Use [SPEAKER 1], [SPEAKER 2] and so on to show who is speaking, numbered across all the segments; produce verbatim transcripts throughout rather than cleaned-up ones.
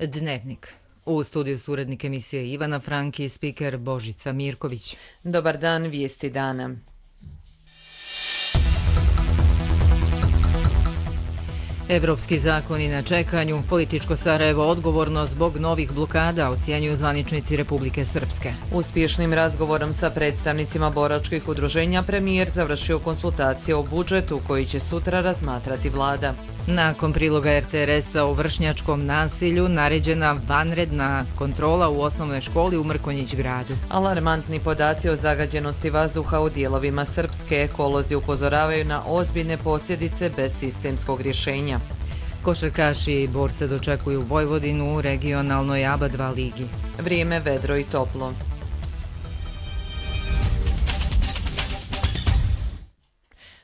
[SPEAKER 1] Dnevnik. U studiju su urednik emisije Ivana Franki i spiker Božica Mirković.
[SPEAKER 2] Dobar dan, vijesti dana.
[SPEAKER 1] Evropski zakoni na čekanju, političko Sarajevo odgovorno zbog novih blokada, ocjenjuju zvaničnici Republike Srpske.
[SPEAKER 2] Uspješnim razgovorom sa predstavnicima boračkih udruženja premijer završio konsultacije o budžetu koji će sutra razmatrati vlada.
[SPEAKER 1] Nakon priloga er te er esa o vršnjačkom nasilju naređena vanredna kontrola u osnovnoj školi u Mrkonjić gradu.
[SPEAKER 2] Alarmantni podaci o zagađenosti vazduha u dijelovima Srpske, ekolozi upozoravaju na ozbiljne posljedice bez sistemskog rješenja.
[SPEAKER 1] Košarkaši i borce dočekuju Vojvodinu u regionalnoj A B A dva ligi.
[SPEAKER 2] Vrijeme vedro i toplo.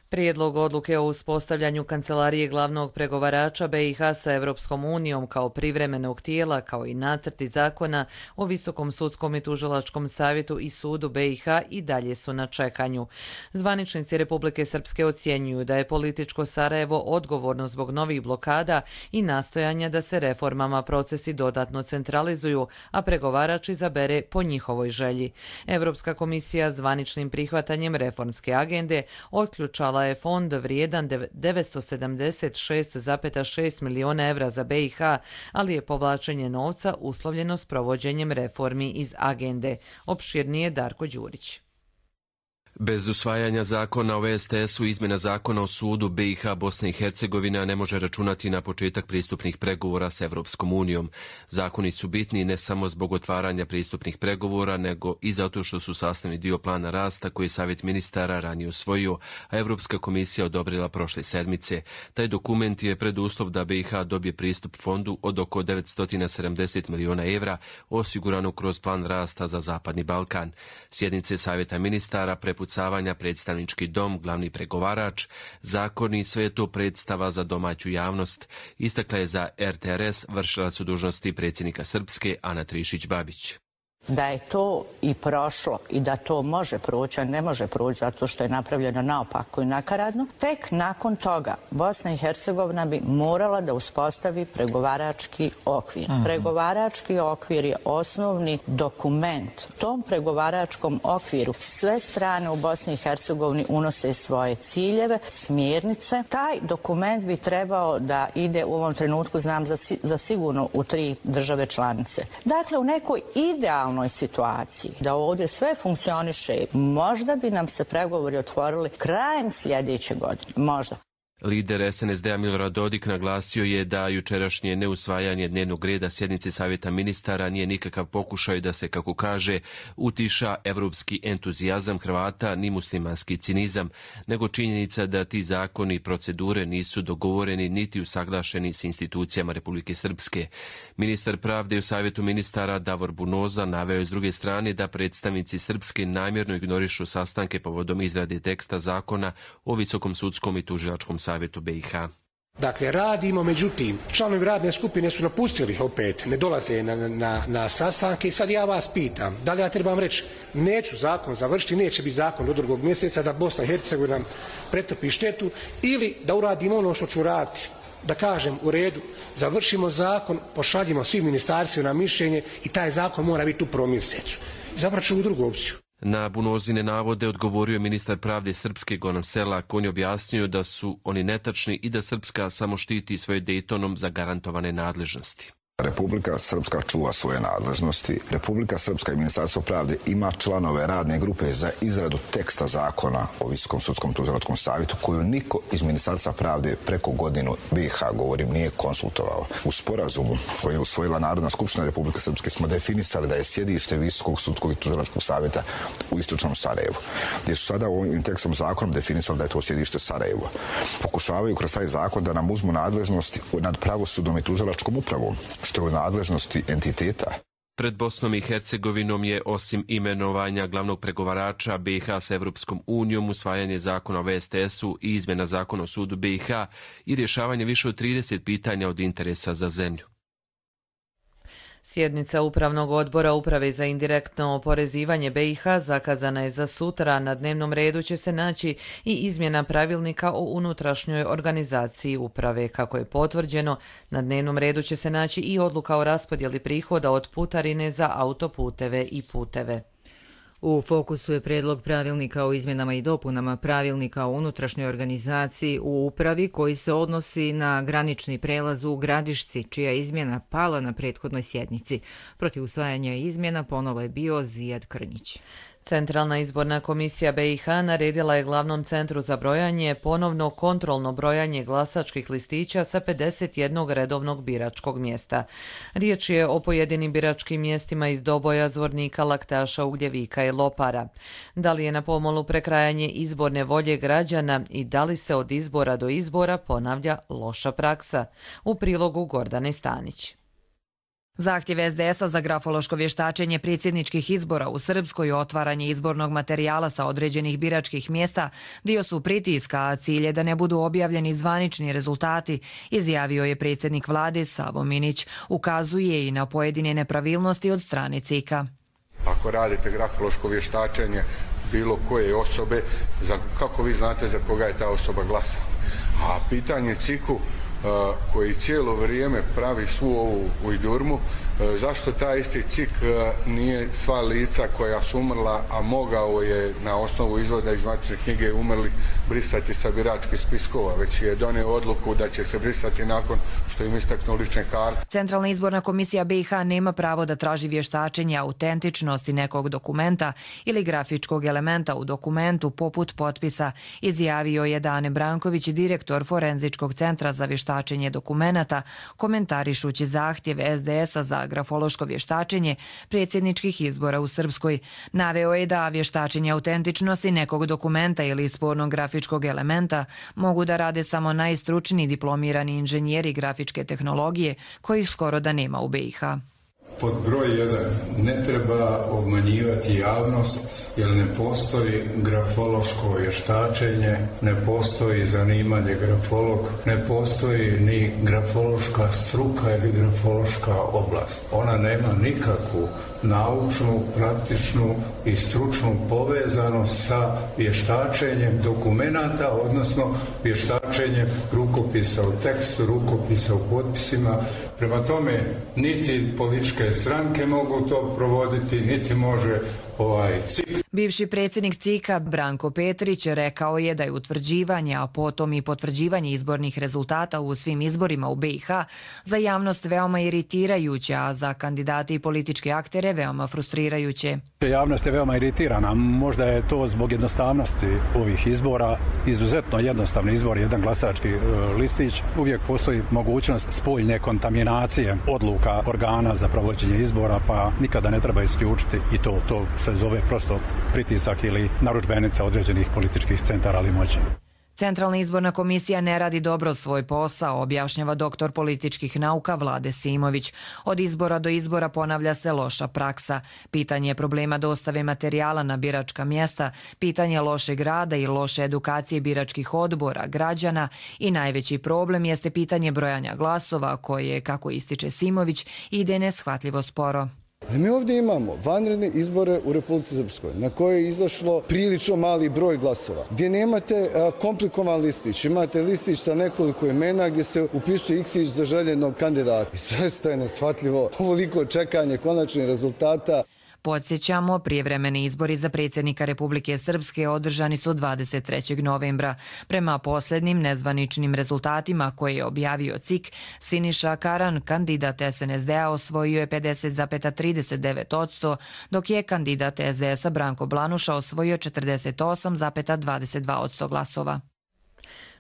[SPEAKER 2] Prijedlog odluke o uspostavljanju kancelarije glavnog pregovarača be i ha sa Evropskom unijom kao privremenog tijela, kao i nacrti zakona o Visokom sudskom i tužilačkom savjetu i sudu be i ha i dalje su na čekanju. Zvaničnici Republike Srpske ocjenjuju da je političko Sarajevo odgovorno zbog novih blokada i nastojanja da se reformama procesi dodatno centralizuju, a pregovarač izabere po njihovoj želji. Evropska komisija zvaničnim prihvatanjem reformske agende otključala je fond vrijedan devetsto sedamdeset šest zarez šest miliona evra za be i ha, ali je povlačenje novca uslovljeno s provođenjem reformi iz agende. Opširnije Darko Đurić.
[SPEAKER 3] Bez usvajanja zakona o es te esu i izmjena zakona o sudu be i ha Bosna i Hercegovina ne može računati na početak pristupnih pregovora s Evropskom unijom. Zakoni su bitni ne samo zbog otvaranja pristupnih pregovora, nego i zato što su sastavni dio plana rasta koji je Savjet ministara ranije usvojio, a Evropska komisija odobrila prošle sedmice. Taj dokument je preduslov da be i ha dobije pristup fondu od oko devetsto sedamdeset miliona evra osigurano kroz plan rasta za Zapadni Balkan. Sjednice Savjeta ministara prepucavanja predstavnički dom, glavni pregovarač, zakoni, sve je to predstava za domaću javnost, istakla je za er te er es vršilac dužnosti predsjednika Srpske Ana Trišić-Babić.
[SPEAKER 4] Da je to i prošlo i da to može proći, a ne može proći zato što je napravljeno naopako i nakaradno, tek nakon toga Bosna i Hercegovina bi morala da uspostavi pregovarački okvir. Aha. Pregovarački okvir je osnovni dokument. U tom pregovaračkom okviru sve strane u Bosni i Hercegovini unose svoje ciljeve, smjernice. Taj dokument bi trebao da ide u ovom trenutku, znam za, za sigurno, u tri države članice. Dakle, u nekoj idealnoj situaciji da ovdje sve funkcioniše, možda bi nam se pregovori otvorili krajem sljedeće godine. Možda.
[SPEAKER 3] Lider es en es de a Milorad Dodik naglasio je da jučerašnje neusvajanje dnevnog reda sjednice Savjeta ministara nije nikakav pokušaj da se, kako kaže, utiša evropski entuzijazam Hrvata ni muslimanski cinizam, nego činjenica da ti zakoni i procedure nisu dogovoreni niti usaglašeni s institucijama Republike Srpske. Ministar pravde u Savjetu ministara Davor Bunoza naveo je s druge strane da predstavnici Srpske namjerno ignorišu sastanke povodom izrade teksta zakona o Visokom sudskom i tužilačkom savjetu be i ha.
[SPEAKER 5] Dakle, radimo, međutim, članovi radne skupine su napustili opet, ne dolaze na, na, na sastanke i sad ja vas pitam, da li ja trebam reći, neću zakon završiti, neće biti zakon do drugog mjeseca, da Bosna i Hercegovina pretrpi štetu, ili da uradimo ono što ću raditi, da kažem u redu, završimo zakon, pošaljimo svim ministarstvima na mišljenje i taj zakon mora biti u prvom mjesecu. Zabrat ću u drugu opciju.
[SPEAKER 3] Na Bunozine navode odgovorio je ministar pravde Srpske Goran Selak. On je objasnio da su oni netačni i da Srpska samo štiti svoje Dejtonom zagarantovane nadležnosti.
[SPEAKER 6] Republika Srpska čuva svoje nadležnosti. Republika Srpska i Ministarstvo pravde ima članove radne grupe za izradu teksta zakona o Visokom sudskom tužilačkom savjetu koju niko iz Ministarstva pravde preko godinu be i ha, govorim, nije konsultovao. U sporazumu koji je usvojila Narodna skupština Republike Srpske smo definisali da je sjedište Visokog sudskog i tužilačkog savjeta u istočnom Sarajevu, gdje su sada ovim tekstom zakonom definisali da je to sjedište Sarajevo. Pokušavaju kroz taj zakon da nam uzmu nadležnosti nad pravosudnom i tužilačkom upravom, što je u nadležnosti entiteta.
[SPEAKER 3] Pred Bosnom i Hercegovinom je osim imenovanja glavnog pregovarača be i ha s Evropskom unijom, usvajanje zakona o es te esu i izmjena zakona o sudu be i ha i rješavanje više od trideset pitanja od interesa za zemlju.
[SPEAKER 2] Sjednica Upravnog odbora Uprave za indirektno oporezivanje B i H zakazana je za sutra. Na dnevnom redu će se naći i izmjena pravilnika o unutrašnjoj organizaciji uprave. Kako je potvrđeno, na dnevnom redu će se naći i odluka o raspodjeli prihoda od putarine za autoputeve i puteve.
[SPEAKER 1] U fokusu je predlog pravilnika o izmjenama i dopunama pravilnika o unutrašnjoj organizaciji u upravi koji se odnosi na granični prelaz u Gradišci, čija je izmjena pala na prethodnoj sjednici. Protiv usvajanja izmjena ponovo je bio Zijad Krnjić.
[SPEAKER 2] Centralna izborna komisija B i H naredila je glavnom centru za brojanje ponovno kontrolno brojanje glasačkih listića sa pedeset jednog redovnog biračkog mjesta. Riječ je o pojedinim biračkim mjestima iz Doboja, Zvornika, Laktaša, Ugljevika i Lopara. Da li je na pomolu prekrajanje izborne volje građana i da li se od izbora do izbora ponavlja loša praksa? U prilogu Gordane Stanić.
[SPEAKER 7] Zahtjev S D S-a za grafološko vještačenje predsjedničkih izbora u Srpskoj i otvaranje izbornog materijala sa određenih biračkih mjesta dio su pritiska, a cilj je da ne budu objavljeni zvanični rezultati, izjavio je predsjednik vlade Savo Minić. Ukazuje i na pojedine nepravilnosti od strane C I K-a.
[SPEAKER 8] Ako radite grafološko vještačenje bilo koje osobe, za, kako vi znate za koga je ta osoba glasala? A pitanje C I K-u koji cijelo vrijeme pravi svu ovu ujdurmu, zašto taj isti C I K nije sva lica koja su umrla, a mogao je na osnovu izvoda iz matične knjige umrli brisati sa biračkih spiskova, već je donio odluku da će se brisati nakon što im istaknu lične karte.
[SPEAKER 7] Centralna izborna komisija B i H nema pravo da traži vještačenje autentičnosti nekog dokumenta ili grafičkog elementa u dokumentu poput potpisa, izjavio je Dane Branković, direktor Forenzičkog centra za vještačenje dokumenata, komentarišući zahtjev S D S-a za grafološko vještačenje predsjedničkih izbora u Srpskoj. Naveo je da vještačenje autentičnosti nekog dokumenta ili spornog grafičkog elementa mogu da rade samo najstručniji diplomirani inženjeri grafičke tehnologije, kojih skoro da nema u B i H.
[SPEAKER 9] Pod broj jedan, ne treba obmanjivati javnost jer ne postoji grafološko vještačenje, ne postoji zanimanje grafolog, ne postoji ni grafološka struka ili grafološka oblast. Ona nema nikakvu naučnu, praktičnu i stručnu povezanost sa vještačenjem dokumenata, odnosno vještačenjem rukopisa u tekstu, rukopisa u potpisima. Prema tome, niti političke stranke mogu to provoditi, niti može ovaj C I K.
[SPEAKER 7] Bivši predsjednik C I K-a Branko Petrić rekao je da je utvrđivanje, a potom i potvrđivanje izbornih rezultata u svim izborima u B i H za javnost veoma iritirajuće, a za kandidate i političke aktere veoma frustrirajuće.
[SPEAKER 10] Javnost je veoma iritirana. Možda je to zbog jednostavnosti ovih izbora. Izuzetno jednostavni izbor, jedan glasački listić. Uvijek postoji mogućnost spoljne kontaminacije odluka organa za provođenje izbora, pa nikada ne treba isključiti i to, to se zove prosto pritisak ili narudžbenica određenih političkih centara ali moći.
[SPEAKER 7] Centralna izborna komisija ne radi dobro svoj posao, objašnjava doktor političkih nauka Vlade Simović. Od izbora do izbora ponavlja se loša praksa. Pitanje problema dostave materijala na biračka mjesta, pitanje lošeg rada i loše edukacije biračkih odbora, građana i najveći problem jeste pitanje brojanja glasova koje, kako ističe Simović, ide neshvatljivo sporo.
[SPEAKER 11] Mi ovdje imamo vanredne izbore u Republici Srpskoj na koje je izašlo prilično mali broj glasova, gdje nemate komplikovan listić, imate listić sa nekoliko imena gdje se upisuje iksić za željenog kandidata. I sve je neshvatljivo, ovoliko čekanje konačnih rezultata.
[SPEAKER 7] Podsjećamo, prijevremeni izbori za predsjednika Republike Srpske održani su dvadeset trećeg novembra. Prema posljednjim nezvaničnim rezultatima koje je objavio C I K, Siniša Karan, kandidat S N S D-a, osvojio je pedeset zarez trideset devet posto, dok je kandidat S D S-a Branko Blanuša osvojio četrdeset osam zarez dvadeset dva posto glasova.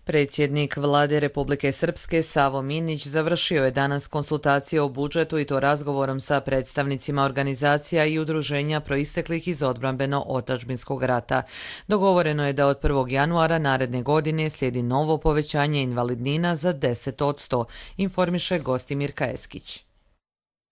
[SPEAKER 2] Predsjednik Vlade Republike Srpske Savo Minić završio je danas konsultacije o budžetu i to razgovorom sa predstavnicima organizacija i udruženja proisteklih iz odbrambeno-otadžbinskog rata. Dogovoreno je da od prvog januara naredne godine slijedi novo povećanje invalidnina za deset posto, informiše Gostimir Kaeskić.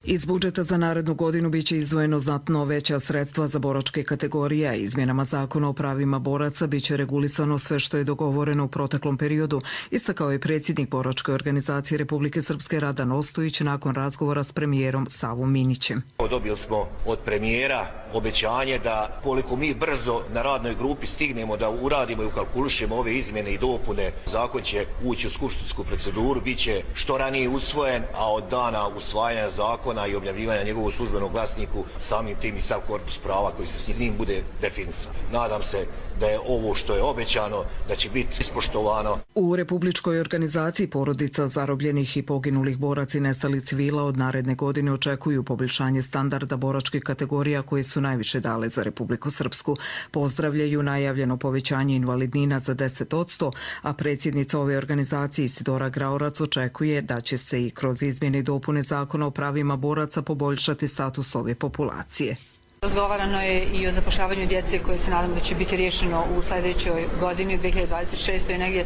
[SPEAKER 12] Iz budžeta za narednu godinu biće izdvojeno znatno veća sredstva za boračke kategorije. Izmjenama zakona o pravima boraca biće regulisano sve što je dogovoreno u proteklom periodu, istakao je predsjednik Boračke organizacije Republike Srpske Radan Ostojić nakon razgovora s premijerom Savom Minićem.
[SPEAKER 13] Dobili smo od premijera obećanje da koliko mi brzo na radnoj grupi stignemo da uradimo i ukalkulišemo ove izmjene i dopune, zakon će ući u skupštinsku proceduru, bit će što ranije usvojen, a od dana usvajanja zakona i objavljivanja njegovog službenog glasniku samim tim i sav korpus prava koji se s njim bude definisan. Nadam se da je ovo što je obećano, da će biti ispoštovano.
[SPEAKER 12] U Republičkoj organizaciji porodica zarobljenih i poginulih boraca i nestalih civila od naredne godine očekuju poboljšanje standarda boračkih kategorija koje su najviše dale za Republiku Srpsku. Pozdravljaju najavljeno povećanje invalidnina za deset posto, a predsjednica ove organizacije Isidora Graorac očekuje da će se i kroz izmjene i dopune zakona o pravima boraca poboljšati status ove populacije.
[SPEAKER 14] Razgovarano je i o zapošljavanju djece koje se nadam da će biti riješeno u sljedećoj godini, dve hiljade dvadeset šestoj. Negdje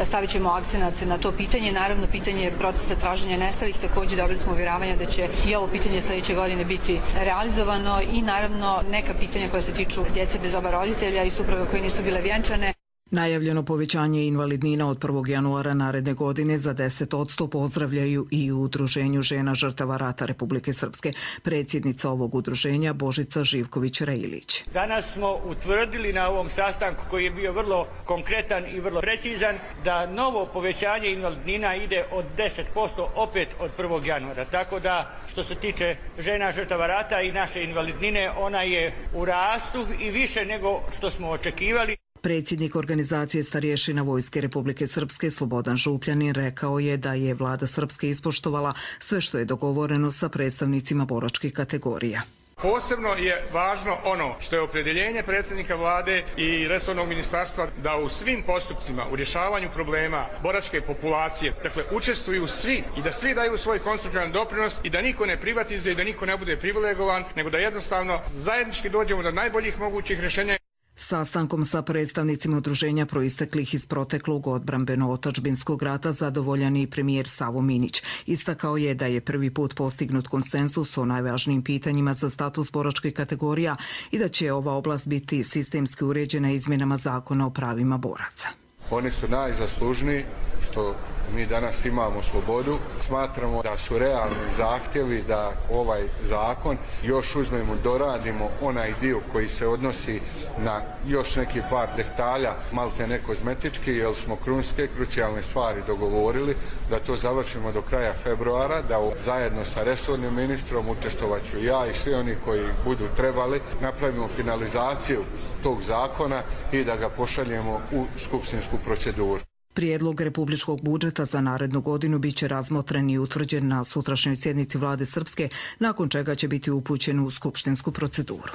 [SPEAKER 14] stavit ćemo akcenat na to pitanje. Naravno, pitanje procesa traženja nestalih, također dobili smo uvjeravanja da će i ovo pitanje sljedeće godine biti realizovano i naravno neka pitanja koja se tiču djece bez oba roditelja i supruga koje nisu bile vjenčane.
[SPEAKER 12] Najavljeno povećanje invalidnina od prvog januara naredne godine za deset posto pozdravljaju i u Udruženju žena žrtava rata Republike Srpske. Predsjednica ovog udruženja Božica Živković-Rejlić.
[SPEAKER 15] Danas smo utvrdili na ovom sastanku koji je bio vrlo konkretan i vrlo precizan da novo povećanje invalidnina ide od deset posto opet od prvog januara. Tako da što se tiče žena žrtava rata i naše invalidnine, ona je u rastu i više nego što smo očekivali.
[SPEAKER 12] Predsjednik organizacije starješina Vojske Republike Srpske Slobodan Župljanin rekao je da je vlada Srpske ispoštovala sve što je dogovoreno sa predstavnicima boračkih kategorija.
[SPEAKER 16] Posebno je važno ono što je opredjeljenje predsjednika vlade i resornog ministarstva da u svim postupcima, u rješavanju problema boračke populacije, dakle učestvuju svi i da svi daju svoj konstruktivan doprinos i da niko ne privatizuje i da niko ne bude privilegovan, nego da jednostavno zajednički dođemo do najboljih mogućih rješenja.
[SPEAKER 12] Sastankom sa predstavnicima udruženja proisteklih iz proteklog odbrambeno-otadžbinskog rata zadovoljan i premijer Savo Minić. Istakao je da je prvi put postignut konsenzus o najvažnijim pitanjima za status boračkih kategorija i da će ova oblast biti sistemski uređena izmjenama zakona o pravima boraca.
[SPEAKER 8] Oni su najzaslužniji što mi danas imamo slobodu. Smatramo da su realni zahtjevi da ovaj zakon još uzmemo, doradimo onaj dio koji se odnosi na još neki par detalja, malte ne kozmetički, jer smo krunske, krucijalne stvari dogovorili da to završimo do kraja februara, da zajedno sa resornim ministrom učestvovaću ja i svi oni koji budu trebali napravimo finalizaciju tog zakona i da ga pošaljemo u skupštinsku proceduru.
[SPEAKER 12] Prijedlog republičkog budžeta za narednu godinu biće razmotren i utvrđen na sutrašnjoj sjednici vlade Srpske, nakon čega će biti upućen u skupštinsku proceduru.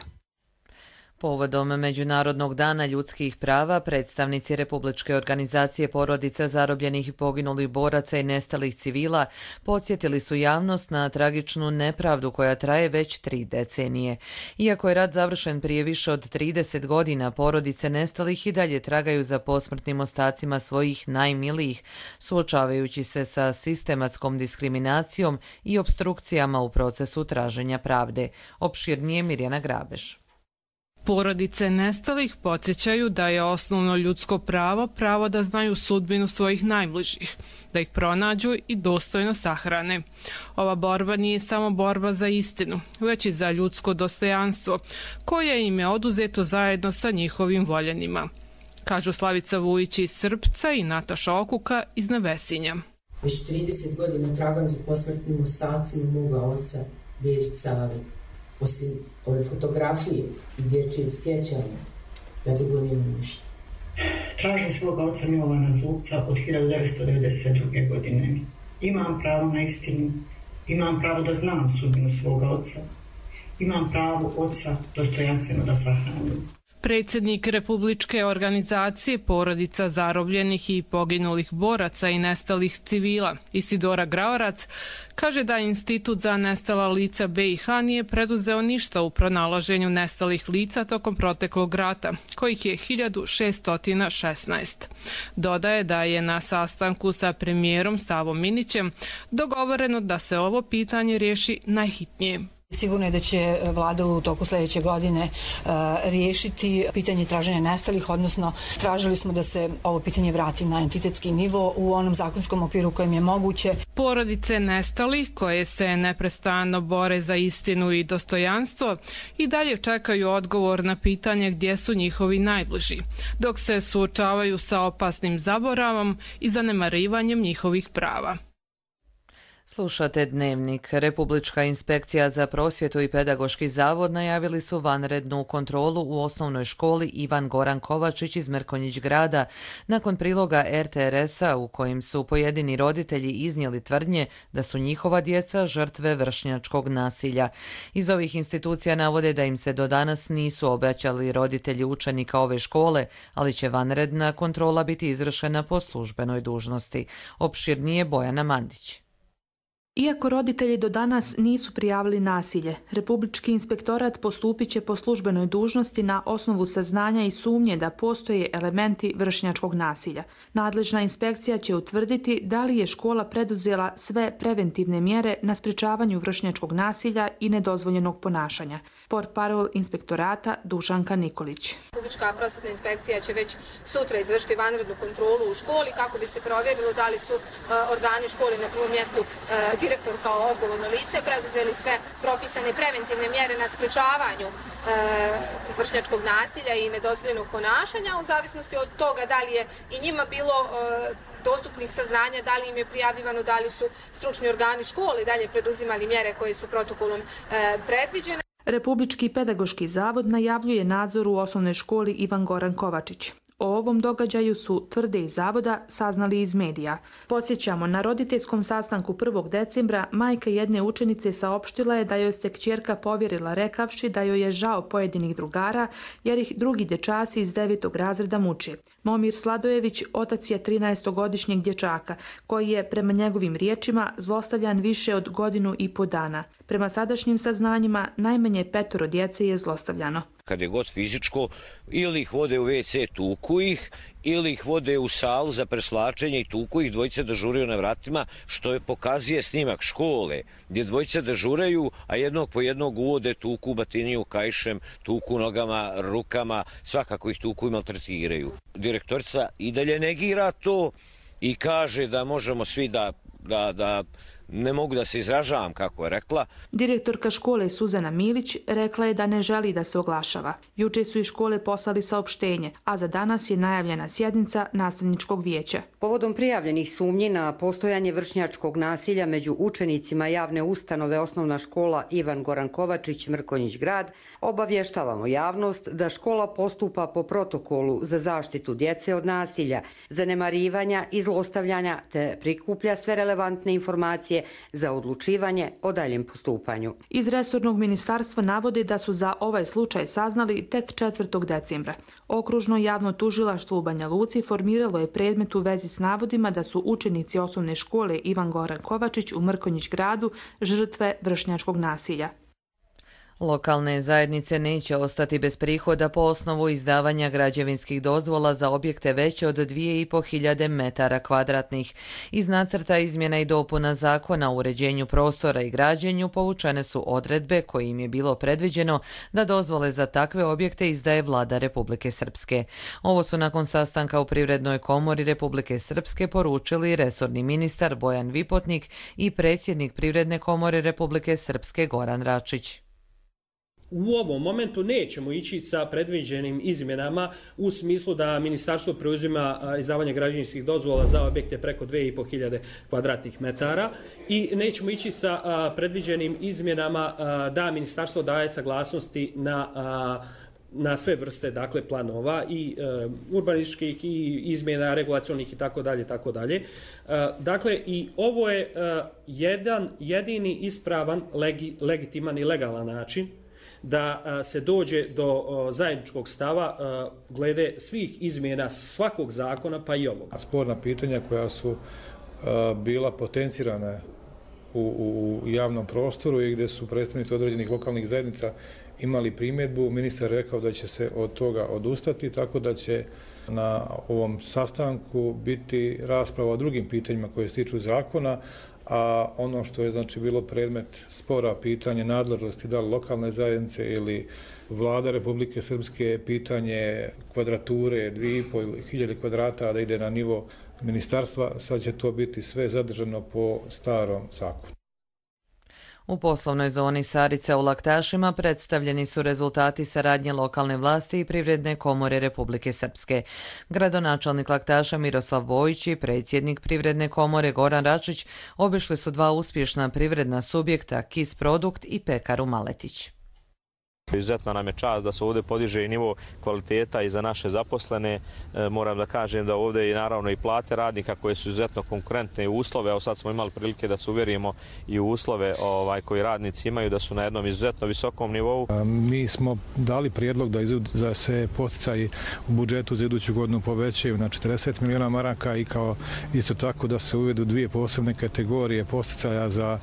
[SPEAKER 2] Povodom Međunarodnog dana ljudskih prava, predstavnici Republičke organizacije porodica zarobljenih i poginulih boraca i nestalih civila podsjetili su javnost na tragičnu nepravdu koja traje već tri decenije. Iako je rat završen prije više od trideset godina, porodice nestalih i dalje tragaju za posmrtnim ostacima svojih najmilijih, suočavajući se sa sistematskom diskriminacijom i obstrukcijama u procesu traženja pravde. Opširnije Mirjana Grabeš.
[SPEAKER 17] Porodice nestalih podsjećaju da je osnovno ljudsko pravo pravo da znaju sudbinu svojih najbližih, da ih pronađu i dostojno sahrane. Ova borba nije samo borba za istinu, već i za ljudsko dostojanstvo, koje im je oduzeto zajedno sa njihovim voljenima, kažu Slavica Vujić iz Srpca i Nataša Okuka iz Nevesinja.
[SPEAKER 18] Već trideset godina tragam za posmrtnim ostacima moga oca, Berić Save. Osim ove fotografije i dječjeg sjećanja, ja drugo nemam ništa.
[SPEAKER 19] Tražim svoga oca Milovana Zubca od hiljadu devetsto devedeset druge. godine. Imam pravo na istinu, imam pravo da znam sudbinu svoga oca, imam pravo oca dostojanstveno da sahranim.
[SPEAKER 17] Predsjednik Republičke organizacije Porodica zarobljenih i poginulih boraca i nestalih civila Isidora Graorac kaže da Institut za nestala lica B i H nije preduzeo ništa u pronalaženju nestalih lica tokom proteklog rata, kojih je hiljadu šeststo šesnaest. Dodaje da je na sastanku sa premijerom Savom Minićem dogovoreno da se ovo pitanje riješi najhitnije.
[SPEAKER 14] Sigurno je da će vlada u toku sljedeće godine uh, riješiti pitanje traženja nestalih, odnosno tražili smo da se ovo pitanje vrati na entitetski nivo u onom zakonskom okviru kojem je moguće.
[SPEAKER 17] Porodice nestalih koje se neprestano bore za istinu i dostojanstvo i dalje čekaju odgovor na pitanje gdje su njihovi najbliži, dok se suočavaju sa opasnim zaboravom i zanemarivanjem njihovih prava.
[SPEAKER 2] Slušate Dnevnik. Republička inspekcija za prosvjetu i pedagoški zavod najavili su vanrednu kontrolu u osnovnoj školi Ivan Goran Kovačić iz Mrkonjić grada nakon priloga R T R S-a u kojim su pojedini roditelji iznijeli tvrdnje da su njihova djeca žrtve vršnjačkog nasilja. Iz ovih institucija navode da im se do danas nisu obraćali roditelji učenika ove škole, ali će vanredna kontrola biti izvršena po službenoj dužnosti. Opširnije Bojana Mandić.
[SPEAKER 20] Iako roditelji do danas nisu prijavili nasilje, Republički inspektorat postupit će po službenoj dužnosti na osnovu saznanja i sumnje da postoje elementi vršnjačkog nasilja. Nadležna inspekcija će utvrditi da li je škola preduzela sve preventivne mjere na sprečavanju vršnjačkog nasilja i nedozvoljenog ponašanja. Portparol inspektorata Dušanka Nikolić.
[SPEAKER 21] Republička prosvjetna inspekcija će već sutra izvršiti vanrednu kontrolu u školi kako bi se provjerilo da li su uh, organi škole na prvom mjestu uh, direktor kao odgovorno lice preduzeli sve propisane preventivne mjere na sprečavanju e, vršnjačkog nasilja i nedozvoljenog ponašanja, u zavisnosti od toga da li je i njima bilo e, dostupnih saznanja, da li im je prijavljivano, da li su stručni organi škole dalje preduzimali mjere koje su protokolom e, predviđene.
[SPEAKER 20] Republički pedagoški zavod najavljuje nadzor u osnovnoj školi Ivan Goran Kovačić. O ovom događaju su, tvrde iz zavoda, saznali iz medija. Podsjećamo, na roditeljskom sastanku prvog decembra majka jedne učenice saopštila je da joj se kćerka povjerila rekavši da joj je žao pojedinih drugara jer ih drugi dječaci iz devetog razreda muče. Momir Sladojević otac je trinaestogodišnjeg dječaka koji je, prema njegovim riječima, zlostavljan više od godinu i po dana. Prema sadašnjim saznanjima, najmanje petoro djece je zlostavljano.
[SPEAKER 22] Kad je god fizičko, ili ih vode u ve ce, tuku ih, ili ih vode u salu za preslačenje i tuku ih, dvojice dežuraju na vratima, što je pokazuje snimak škole, gdje dvojice dežuraju, a jednog po jednog uvode, tuku batiniju kajšem, tuku nogama, rukama, svakako ih tuku i maltretiraju. Direktorica i dalje negira to i kaže da možemo svi da, da, da ne mogu da se izražavam, kako je rekla.
[SPEAKER 20] Direktorka škole Suzana Milić rekla je da ne želi da se oglašava. Juče su iz škole poslali saopštenje, a za danas je najavljena sjednica nastavničkog vijeća.
[SPEAKER 23] Povodom prijavljenih sumnji na postojanje vršnjačkog nasilja među učenicima javne ustanove osnovna škola Ivan Goran Kovačić, Mrkonjić grad, obavještavamo javnost da škola postupa po protokolu za zaštitu djece od nasilja, zanemarivanja i zlostavljanja te prikuplja sve relevantne informacije za odlučivanje o daljem postupanju.
[SPEAKER 20] Iz resornog ministarstva navode da su za ovaj slučaj saznali tek četvrtog decembra. Okružno javno tužilaštvo u Banja Luci formiralo je predmet u vezi s navodima da su učenici osnovne škole Ivan Goran Kovačić u Mrkonjić gradu žrtve vršnjačkog nasilja.
[SPEAKER 2] Lokalne zajednice neće ostati bez prihoda po osnovu izdavanja građevinskih dozvola za objekte veće od dvije i po hiljade metara kvadratnih. Iz nacrta izmjena i dopuna zakona o uređenju prostora i građenju povučene su odredbe kojim je bilo predviđeno da dozvole za takve objekte izdaje vlada Republike Srpske. Ovo su nakon sastanka u Privrednoj komori Republike Srpske poručili resorni ministar Bojan Vipotnik i predsjednik Privredne komore Republike Srpske Goran Račić.
[SPEAKER 24] U ovom momentu nećemo ići sa predviđenim izmjenama u smislu da ministarstvo preuzima izdavanje građevinskih dozvola za objekte preko dvije i po hiljade kvadratnih metara i nećemo ići sa predviđenim izmjenama da ministarstvo daje saglasnosti na na sve vrste, dakle, planova i e, urbanističkih i izmjena regulacionih i tako dalje, tako dalje. E, dakle, i ovo je e, jedan jedini ispravan, legi, legitiman i legalan način da se dođe do zajedničkog stava glede svih izmjena svakog zakona, pa i ovog.
[SPEAKER 3] Sporna pitanja koja su bila potencirana u, u javnom prostoru i gdje su predstavnici određenih lokalnih zajednica imali primjedbu, ministar je rekao da će se od toga odustati, tako da će na ovom sastanku biti rasprava o drugim pitanjima koje se tiču zakona, a ono što je znači bilo predmet spora, pitanje nadležnosti da li lokalne zajednice ili vlada Republike Srpske, pitanje kvadrature dvije i pol hiljade kvadrata da ide na nivo ministarstva, sad će to biti sve zadržano po starom zakonu.
[SPEAKER 2] U poslovnoj zoni Sarica u Laktašima predstavljeni su rezultati saradnje lokalne vlasti i Privredne komore Republike Srpske. Gradonačelnik Laktaša Miroslav Bojić i predsjednik Privredne komore Goran Račić obišli su dva uspješna privredna subjekta, Kis Produkt i Pekaru Maletić.
[SPEAKER 4] Izuzetno nam je čast da se ovdje podiže i nivo kvaliteta i za naše zaposlene. E, moram da kažem da ovdje je naravno i plate radnika koje su izuzetno konkurentne i uslove. Evo sad smo imali prilike da se uvjerimo i u uslove ovaj, koji radnici imaju, da su na jednom izuzetno visokom nivou.
[SPEAKER 3] Mi smo dali prijedlog da, izud, da se poticaji u budžetu za iduću godinu povećaju na četrdeset miliona maraka i kao isto tako da se uvedu dvije posebne kategorije poticaja za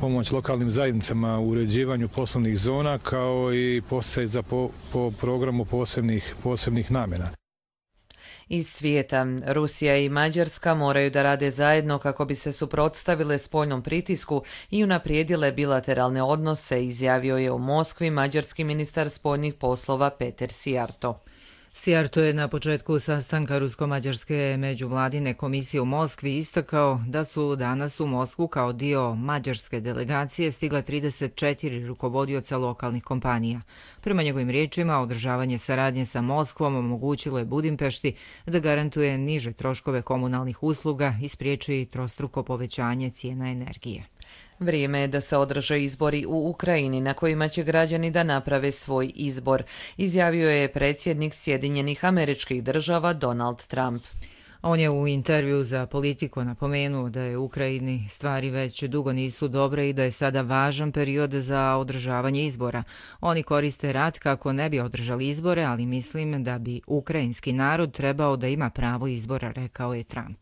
[SPEAKER 3] pomoć lokalnim zajednicama u uređivanju poslovnih zona kao i posticaj za po, po programu posebnih, posebnih namjena.
[SPEAKER 2] Iz svijeta, Rusija i Mađarska moraju da rade zajedno kako bi se suprotstavile spoljnom pritisku i unaprijedile bilateralne odnose, izjavio je u Moskvi mađarski ministar spoljnih poslova Peter Sijarto.
[SPEAKER 1] Sijarto je na početku sastanka Rusko-Mađarske međuvladine komisije u Moskvi istakao da su danas u Moskvu kao dio mađarske delegacije stigla trideset četiri rukovodioca lokalnih kompanija. Prema njegovim riječima, održavanje saradnje sa Moskvom omogućilo je Budimpešti da garantuje niže troškove komunalnih usluga i spriječi trostruko povećanje cijena energije.
[SPEAKER 2] Vrijeme je da se održe izbori u Ukrajini na kojima će građani da naprave svoj izbor, izjavio je predsjednik Sjedinjenih Američkih Država Donald Trump.
[SPEAKER 1] On je u intervju za Politiku napomenuo da je u Ukrajini stvari već dugo nisu dobre i da je sada važan period za održavanje izbora. Oni koriste rat kako ne bi održali izbore, ali mislim da bi ukrajinski narod trebao da ima pravo izbora, rekao je Trump.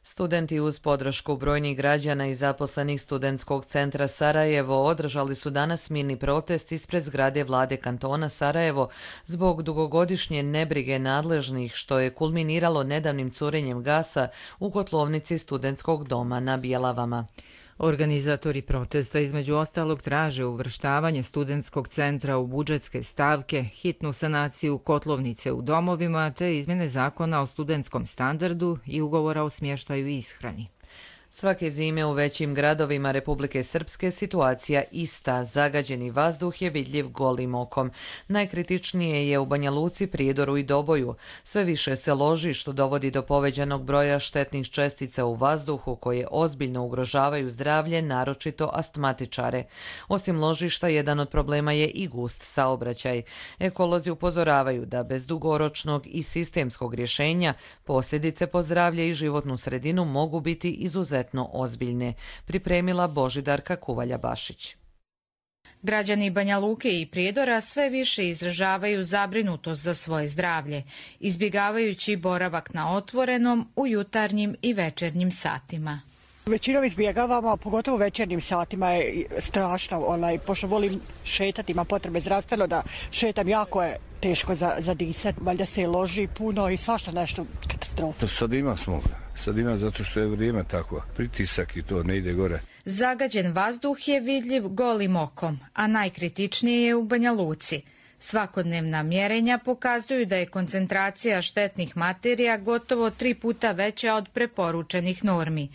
[SPEAKER 2] Studenti uz podršku brojnih građana i zaposlenih Studentskog centra Sarajevo održali su danas mirni protest ispred zgrade vlade kantona Sarajevo zbog dugogodišnje nebrige nadležnih, što je kulminiralo nedavnim curenjem gasa u kotlovnici Studentskog doma na Bjelavama.
[SPEAKER 1] Organizatori protesta između ostalog traže uvrštavanje Studentskog centra u budžetske stavke, hitnu sanaciju kotlovnice u domovima te izmjene zakona o studentskom standardu i ugovora o smještaju i ishrani.
[SPEAKER 2] Svake zime u većim gradovima Republike Srpske situacija ista. Zagađeni vazduh je vidljiv golim okom. Najkritičnije je u Banja Luci, Prijedoru i Doboju. Sve više se loži što dovodi do povećanog broja štetnih čestica u vazduhu koje ozbiljno ugrožavaju zdravlje, naročito astmatičare. Osim ložišta, jedan od problema je i gust saobraćaj. Ekolozi upozoravaju da bez dugoročnog i sistemskog rješenja posljedice po zdravlje i životnu sredinu mogu biti izuzetno ozbiljne, pripremila Božidarka Kuvalja-Bašić.
[SPEAKER 5] Građani Banja Luke i Prijedora sve više izražavaju zabrinutost za svoje zdravlje, izbjegavajući boravak na otvorenom u jutarnjim i večernjim satima.
[SPEAKER 6] Većinom izbjegavamo, pogotovo u večernjim satima je strašno, onaj, pošto volim šetati, ima potrebe zdravstveno da šetam, jako je teško za, za disat, valjda se loži puno i svašta nešto katastrofa.
[SPEAKER 25] Sad ima smoga, sad ima zato što je vrijeme tako, pritisak i to ne ide gore.
[SPEAKER 5] Zagađen vazduh je vidljiv golim okom, a najkritičnije je u Banja Luci. Svakodnevna mjerenja pokazuju da je koncentracija štetnih materija gotovo tri puta veća od preporučenih normi.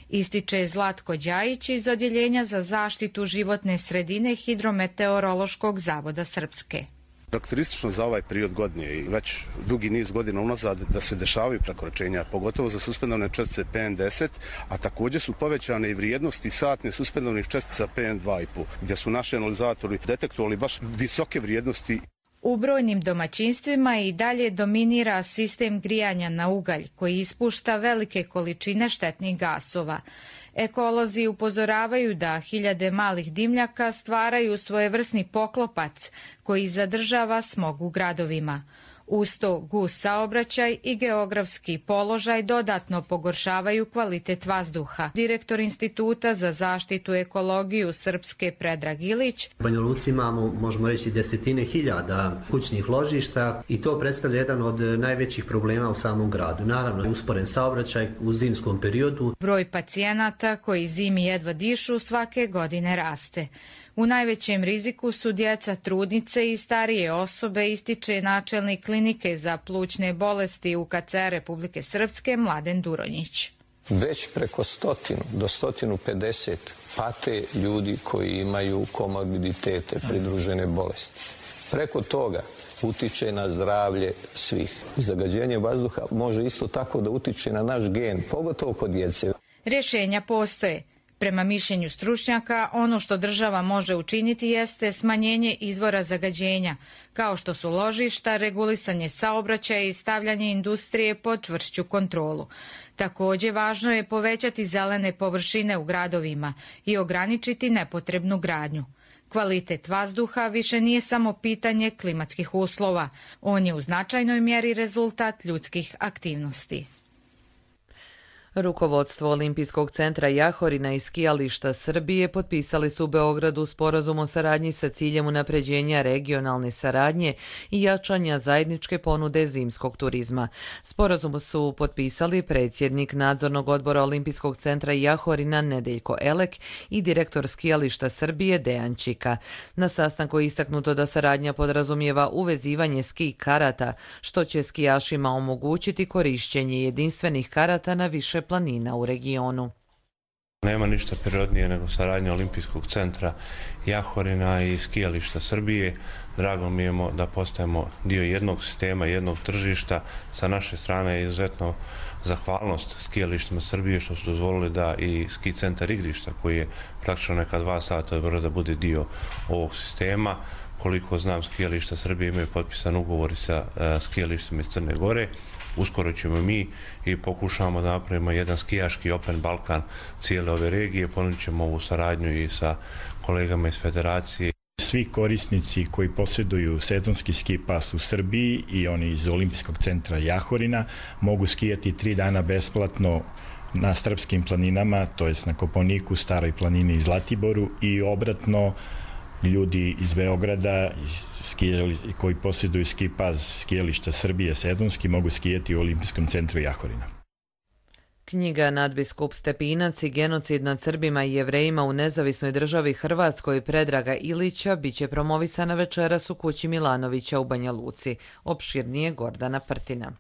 [SPEAKER 5] Ističe Zlatko Đajić iz Odjeljenja za zaštitu životne sredine Hidrometeorološkog zavoda Srpske.
[SPEAKER 26] Karakteristično za ovaj period godine i već dugi niz godina unazad da se dešavaju prekoračenja, pogotovo za suspendovne čestice P M deset, a također su povećane i vrijednosti satne suspendovnih čestica P M dva i pet, gdje su naši analizatori detektovali baš visoke vrijednosti.
[SPEAKER 5] U brojnim domaćinstvima i dalje dominira sistem grijanja na ugalj koji ispušta velike količine štetnih gasova. Ekolozi upozoravaju da hiljade malih dimljaka stvaraju svojevrsni poklopac koji zadržava smog u gradovima. Uz to gust saobraćaj i geografski položaj dodatno pogoršavaju kvalitet vazduha. Direktor Instituta za zaštitu ekologiju Srpske Predrag Ilić.
[SPEAKER 7] U Banja Luci imamo, možemo reći, desetine hiljada kućnih ložišta i to predstavlja jedan od najvećih problema u samom gradu. Naravno, usporen saobraćaj u zimskom periodu.
[SPEAKER 5] Broj pacijenata koji zimi jedva dišu svake godine raste. U najvećem riziku su djeca, trudnice i starije osobe, ističe načelnik klinike za plućne bolesti U K C Republike Srpske Mladen Duronjić.
[SPEAKER 9] Već preko stotinu do stotinu pedeset pate ljudi koji imaju komorbiditete, pridružene bolesti. Preko toga utiče na zdravlje svih. Zagađenje vazduha može isto tako da utiče na naš gen, pogotovo kod djece.
[SPEAKER 5] Rješenja postoje. Prema mišljenju stručnjaka, ono što država može učiniti jeste smanjenje izvora zagađenja, kao što su ložišta, regulisanje saobraćaja i stavljanje industrije pod čvršću kontrolu. Također, važno je povećati zelene površine u gradovima i ograničiti nepotrebnu gradnju. Kvalitet vazduha više nije samo pitanje klimatskih uslova. On je u značajnoj mjeri rezultat ljudskih aktivnosti.
[SPEAKER 2] Rukovodstvo Olimpijskog centra Jahorina i skijališta Srbije potpisali su u Beogradu sporazum o saradnji sa ciljem unapređenja regionalne saradnje i jačanja zajedničke ponude zimskog turizma. Sporazum su potpisali predsjednik nadzornog odbora Olimpijskog centra Jahorina Nedeljko Elek i direktor skijališta Srbije Dejan Čika. Na sastanku je istaknuto da saradnja podrazumijeva uvezivanje ski karata, što će skijašima omogućiti korišćenje jedinstvenih karata na više planina u regionu.
[SPEAKER 10] Nema ništa prirodnije nego saradnja Olimpijskog centra Jahorina i skijališta Srbije. Drago mi je da postajemo dio jednog sistema, jednog tržišta. Sa naše strane je izuzetno zahvalnost skijalištima Srbije što su dozvolili da i ski centar igrišta, koji je praktično neka dva sata od Beograda, bude dio ovog sistema. Koliko znam, skijališta Srbije imaju potpisan ugovor sa skijalištima iz Crne Gore. Uskoro ćemo mi i pokušamo da napravimo jedan skijaški Open Balkan cijele ove regije. Ponudit ćemo ovu saradnju i sa kolegama iz federacije.
[SPEAKER 11] Svi korisnici koji posjeduju sezonski ski pas u Srbiji i oni iz Olimpijskog centra Jahorina mogu skijati tri dana besplatno na srpskim planinama, to jest na Kopaoniku, Staroj planini i Zlatiboru, i obratno ljudi iz Beograda koji posjeduju ski pas skijališta Srbije sezonski mogu skijati u Olimpijskom centru Jahorina.
[SPEAKER 2] Knjiga Nadbiskup Stepinac i genocid nad Srbima i Jevrejima u nezavisnoj državi Hrvatskoj Predraga Ilića biće promovisana večeras u kući Milanovića u Banja Luci. Opširnije Gordana Prtina.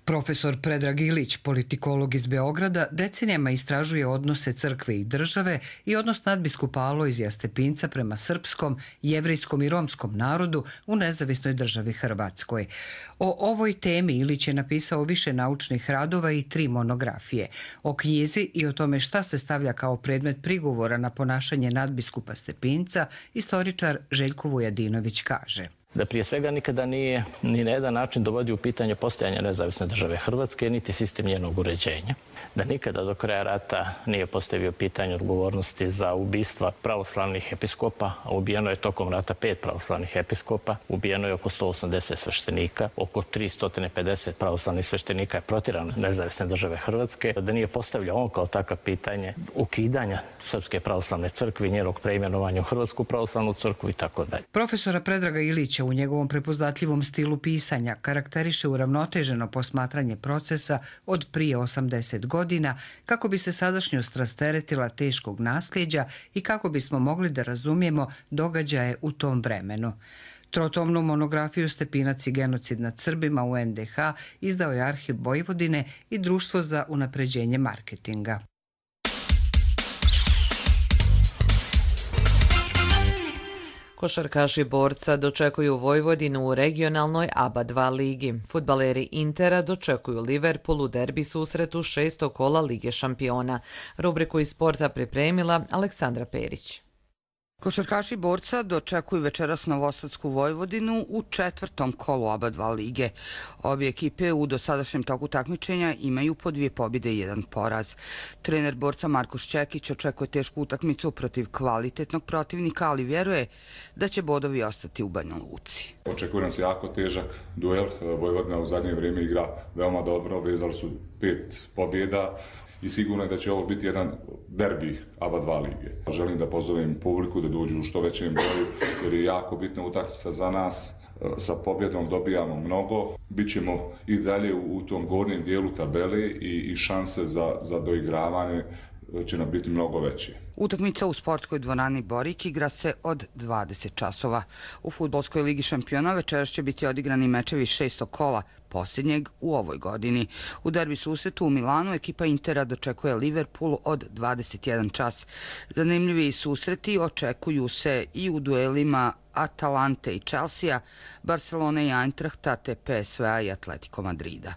[SPEAKER 13] Profesor Predrag Ilić, politikolog iz Beograda, decenijama istražuje odnose crkve i države i odnos nadbiskupa Alojzija Stepinca prema srpskom, jevrejskom i romskom narodu u nezavisnoj državi Hrvatskoj. O ovoj temi Ilić je napisao više naučnih radova i tri monografije. O knjizi i o tome šta se stavlja kao predmet prigovora na ponašanje nadbiskupa Stepinca, istoričar Željko Vujadinović kaže:
[SPEAKER 15] da prije svega nikada nije ni na jedan način dovodio u pitanje postojanja nezavisne države Hrvatske, niti sistem njenog uređenja. Da nikada do kraja rata nije postavio pitanje odgovornosti za ubistva pravoslavnih episkopa, a ubijeno je tokom rata pet pravoslavnih episkopa, ubijeno je oko sto osamdeset sveštenika, oko tristo pedeset pravoslavnih sveštenika je protirano nezavisne države Hrvatske, da nije postavljao on kao takav pitanje ukidanja Srpske pravoslavne crkve i njenog preimenovanja u Hrvatsku pravoslavnu crkvu i tako dalje.
[SPEAKER 13] Profesora Predraga Ilića u njegovom prepoznatljivom stilu pisanja karakteriše uravnoteženo posmatranje procesa od prije osamdeset godina kako bi se sadašnjost rasteretila teškog nasljeđa i kako bismo mogli da razumijemo događaje u tom vremenu. Trotomnu monografiju Stepinac i genocid nad Srbima u en de ha izdao je Arhiv Vojvodine i Društvo za unapređenje marketinga.
[SPEAKER 2] Košarkaši Borca dočekuju Vojvodinu u regionalnoj A B A dva ligi. Fudbaleri Intera dočekuju Liverpool u derbi susretu šestog kola Lige šampiona. Rubriku iz sporta pripremila Aleksandra Perić.
[SPEAKER 8] Košarkaši Borca dočekuju večeras Novosadsku Vojvodinu u četvrtom kolu oba dva lige. Obje ekipe u dosadašnjem toku takmičenja imaju po dvije pobjede i jedan poraz. Trener Borca Marko Šćekić očekuje tešku utakmicu protiv kvalitetnog protivnika, ali vjeruje da će bodovi ostati u Banja Luci.
[SPEAKER 12] Očekuje nas jako težak duel. Vojvodina u zadnje vrijeme igra veoma dobro, vezali su pet pobjeda. I sigurno je da će ovo biti jedan derbi oba dva lige. Želim da pozovem publiku da dođu u što većem broju, jer je jako bitna utakmica za nas. Sa pobjedom dobijamo mnogo. Bićemo i dalje u tom gornjem dijelu tabele i, i šanse za, za doigravanje će nam biti mnogo veće.
[SPEAKER 8] Utakmica u sportskoj dvorani Borik igra se od dvadeset časova. U fudbalskoj ligi šampiona večeras će biti odigrani mečevi šestog kola, posljednjeg u ovoj godini. U derbi susretu u Milanu ekipa Intera dočekuje Liverpool od dvadeset jedan čas. Zanimljivi susreti očekuju se i u duelima Atalante i Chelsea, Barcelone i Eintrachta te P S V-a i Atletico Madrida.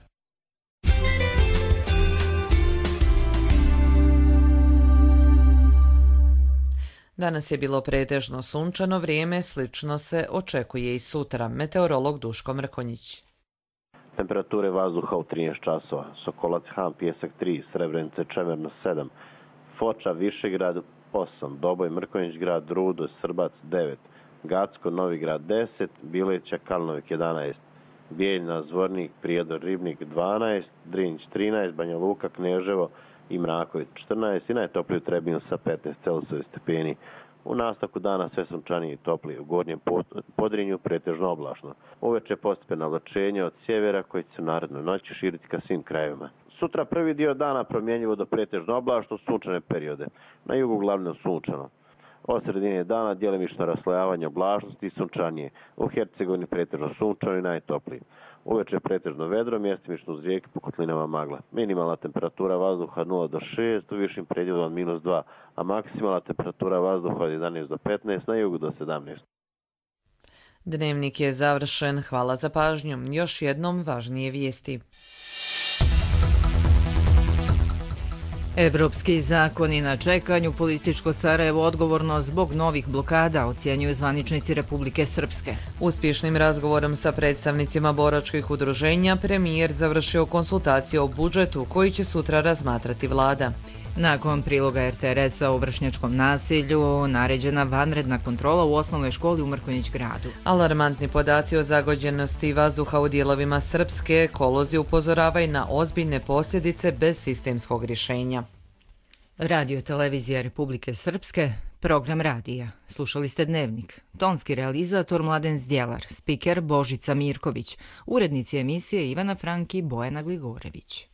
[SPEAKER 2] Danas je bilo pretežno sunčano vrijeme, slično se očekuje i sutra. Meteorolog Duško Mrkonjić.
[SPEAKER 14] Temperature vazduha u trinaest časova. Sokolac, Han, Pjesak tri, Srebrenice, Čemerno sedam, Foča, Višegrad osam, Doboj, Mrkonjić grad, Rudo, Srbac devet, Gacko, Novigrad deset, Bileća, Kalnovik jedanaest, Bijeljna, Zvornik, Prijedor, Ribnik dvanaest, Drinć trinaest, Banja Luka, Kneževo i Mraković četrnaest i najtopliji u Trebinju sa petnaest Celzijusovih stepeni. U nastavku dana sve sunčanije i toplije, u gornjem Podrinju pretežno oblačno. Uveče postepeno oblačenje od sjevera koji će se u narednoj noći širiti ka svim krajevima. Sutra prvi dio dana promjenjivo do pretežno oblačno, sunčane periode. Na jugu uglavnom sunčano. Od sredine dana djelimično raslojavanje oblačnosti i sunčanije. U Hercegovini pretežno sunčano i najtoplije. Uveče pretežno vedro, mjestimično uz rijeke po kotlinama magla. Minimalna temperatura vazduha nula do šest, u višim predjelom minus dva, a maksimalna temperatura vazduha od jedanaest do petnaest, na jugu do sedamnaest.
[SPEAKER 2] Dnevnik je završen. Hvala za pažnju. Još jednom važnije vijesti. Evropski zakoni na čekanju, političko Sarajevo odgovorno zbog novih blokada, ocjenjuju zvaničnici Republike Srpske. Uspješnim razgovorom sa predstavnicima boračkih udruženja, premijer završio konsultacije o budžetu koji će sutra razmatrati vlada. Nakon priloga R T R S-a o vršnjačkom nasilju, naređena vanredna kontrola u osnovnoj školi u Mrkonjić gradu. Alarmantni podaci o zagađenosti vazduha u dijelovima Srpske, ekolozi upozoravaju na ozbiljne posljedice bez sistemskog rješenja. Radio televizija Republike Srpske, program radija. Slušali ste Dnevnik. Tonski realizator Mladen Zdjelar, spiker Božica Mirković, urednici emisije Ivana Franki, Bojana Gligorević.